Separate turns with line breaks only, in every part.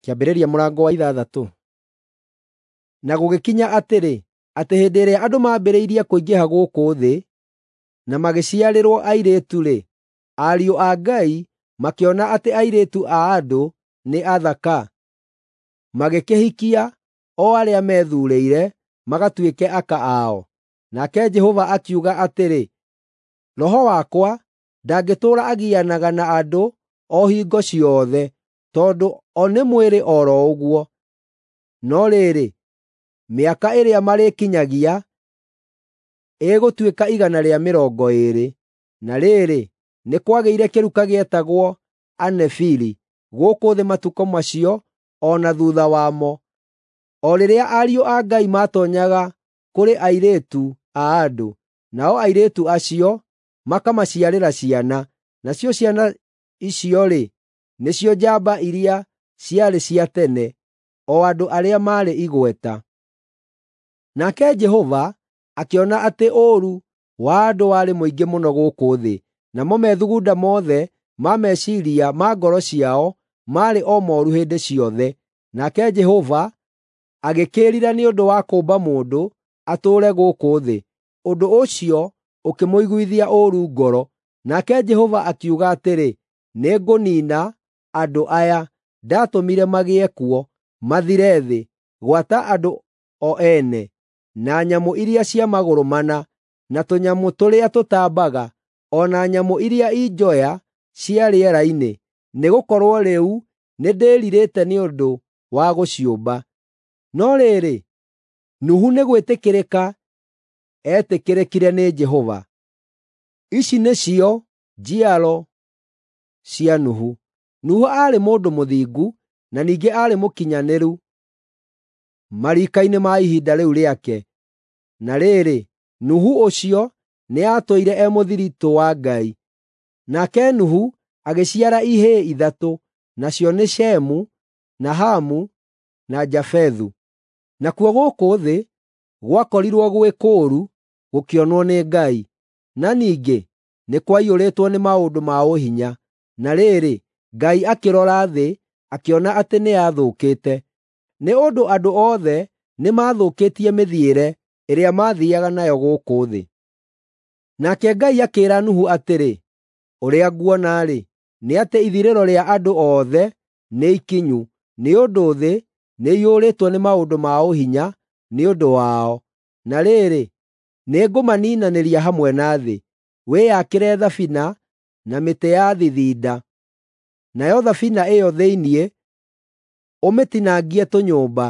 Kĩambĩrĩria mũrango wa 6. Na gũgĩkinya atĩrĩ, atĩ hĩndĩ ĩrĩa andũ maambĩrĩirie kũingĩha gũkũ thĩ, na magĩciarĩrwo airĩtu-rĩ, ariũ a Ngai makĩona atĩ airĩtu a andũ nĩ athaka, magĩkĩhikia o arĩa meethuurĩire magatuĩke aka ao. Nake Jehova akiuga atĩrĩ, “Roho wakwa ndangĩtũũra agianaga na andũ o hingo ciothe, tondũ o nĩ mwĩrĩ o ro ũguo, no rĩrĩ, mĩaka ĩrĩa marĩkinyagia ĩgũtuĩka 120. Na rĩrĩ, nĩ kwagĩire kĩruka gĩetagwo Anefili gũkũ thĩ matukũ macio o na thuutha wamo, o rĩrĩa ariũ a Ngai maatoonyaga kũrĩ airĩtu a andũ, nao airĩtu acio makamaciarĩra ciana. Nacio ciana icio-rĩ, nĩcio njamba iria ciarĩ cia tene, o andũ arĩa maarĩ igweta. Nake Jehova akĩona atĩ ũũru wa andũ warĩ mũingĩ mũno gũkũ thĩ, namo methugunda mothe ma meciiria ma ngoro ciao maarĩ o mooru hĩndĩ ciothe. Nake Jehova agĩkĩĩrira nĩ ũndũ wa kũũmba mũndũ atũũre gũkũ thĩ, ũndũ ũcio ũkĩmũiguithia ũũru ngoro. Nake Jehova akiuga atĩrĩ, “Nĩngũniina andũ aya ndaatũmire magĩe kuo, mathire thĩ, gwata andũ o ene, na nyamũ iria cia magũrũ mana, na tũnyamũ tũrĩa tũtambaga, o na nyamũ iria i njoya cia rĩera-inĩ, nĩgũkorwo rĩu nĩndĩĩrirĩte nĩ ũndũ wa gũciũmba.” No rĩrĩ, Nuhu nĩ gwĩtĩkĩrĩka eetĩkĩrĩkire nĩ Jehova. Ici nĩcio njiaro cia Nuhu. Nuhu aarĩ mũndũ mũthingu na ningĩ aarĩ mũkinyanĩru mariika-inĩ ma ihinda rĩu rĩake. Na rĩrĩ, Nuhu ũcio nĩatũire e mũthiritũ wa Ngai. Nake Nuhu agĩciara ihĩĩ ithatũ, nacio nĩ Shemu, na Hamu, na Jafethu. Nakuo gũkũ thĩ gwakorirwo gwĩ kũũru gũkĩonwo nĩ Ngai, na ningĩ nĩ kwaiyũrĩtwo nĩ maũndũ ma ũhinya. Na rĩrĩ, Ngai akĩrora thĩ akĩona atĩ nĩyathũkĩte, nĩ ũndũ andũ othe nĩmathũkĩtie mĩthiĩre ĩrĩa maathiiaga nayo gũkũ thĩ. Nake Ngai akĩĩra Nuhu atĩrĩ, “Ũrĩa nguona-rĩ, nĩ atĩ ithirĩro rĩa andũ othe nĩ ikinyu, nĩ ũndũ thĩ nĩiyũrĩtwo nĩ maũndũ ma ũhinya nĩ ũndũ wao. Na rĩrĩ, nĩngũmaniinanĩria hamwe na thĩ. Wĩyakĩre thabina na mĩtĩ ya thithinda. Nayo thabina ĩyo thĩinĩ ũmĩtinangie tũnyũmba,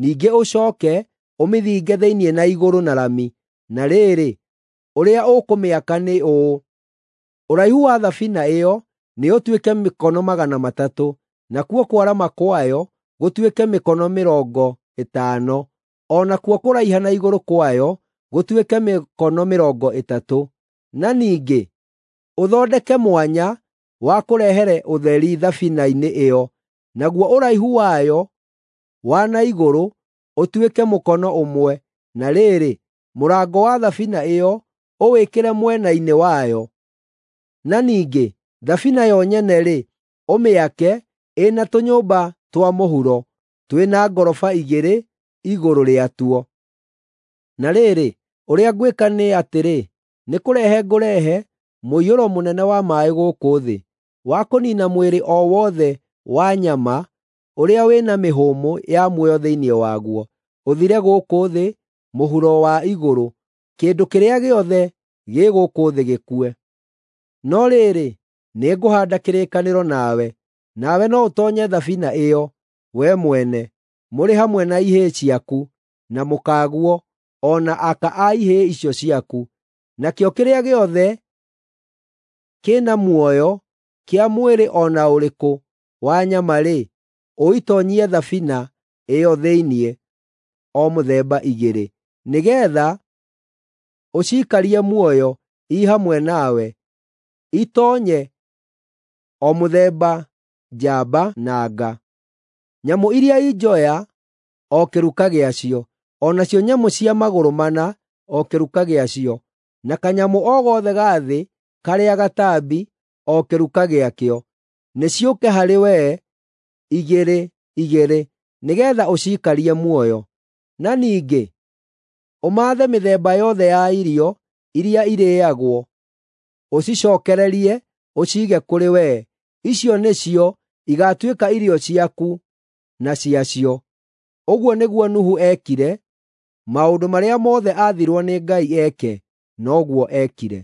ningĩ ũcooke ũmĩthinge thĩinĩ na igũrũ na rami. Na rĩrĩ, ũrĩa ũkũmĩaka nĩ ũũ: Ũraihu wa thabina ĩyo nĩũtuĩke mĩkono 300, nakuo kwarama kwayo gũtuĩke mĩkono 50, o nakuo kũraiha na igũrũ kwayo gũtuĩke mĩkono 30. Na ningĩ ũthondeke mwanya wa kũrehere ũtheri thabina-inĩ ĩyo, naguo ũraihu wayo wa na igũrũ ũtuĩke mũkono 1. Na rĩrĩ, mũrango wa thabina ĩyo ũwĩkĩre mwena-inĩ wayo. Na ningĩ thabina yo nyene-rĩ, ũmĩake ĩna tũnyũmba twa mũhuro twĩna ngoroba 2 igũrũ rĩatuo. Na rĩrĩ, ũrĩa ngwĩka nĩ atĩrĩ, nĩkũrehe ngũrehe mũiyũro mũnene wa maaĩ gũkũ thĩ, wa kũniina mwĩrĩ o wothe wa nyama ũrĩa wĩna mĩhũmũ ya muoyo thĩinĩ waguo, ũthire gũkũ thĩ mũhuro wa igũrũ, kĩndũ kĩrĩa gĩothe gĩ gũkũ thĩ gĩkue. No rĩrĩ, nĩngũhaanda kĩrĩkanĩro nawe, nawe no ũtoonye thabina ĩyo, wee mwene, mũrĩ hamwe na ihĩĩ ciaku, na mũkaguo, o na aka a ihĩĩ icio ciaku. Nakĩo kĩrĩa gĩothe kĩna muoyo kĩa mwĩrĩ o na ũrĩkũ wa nyama-rĩ, ũitoonyie thabina ĩyo thĩinĩ, o mũthemba 2, nĩgeetha ũciikarie muoyo i hamwe nawe, itoonye o mũthemba njamba na nga. Nyamũ iria i njoya o kĩruka gĩacio, o nacio nyamũ cia magũrũ mana o kĩruka gĩacio, na kanyamũ o gothe ga thĩ karĩa gatambi o kĩruka gĩakĩo, nĩciũke harĩ wee igĩrĩ igĩrĩ nĩgeetha ũciikarie muoyo. Na ningĩ ũmaathe mĩthemba yothe ya irio iria irĩĩagwo, ũcicookererie ũciige kũrĩ wee. Icio nĩcio igaatuĩka irio ciaku na ciacio.” Ũguo nĩguo Nuhu eekire; maũndũ marĩa mothe aathirwo nĩ Ngai eke, noguo eekire.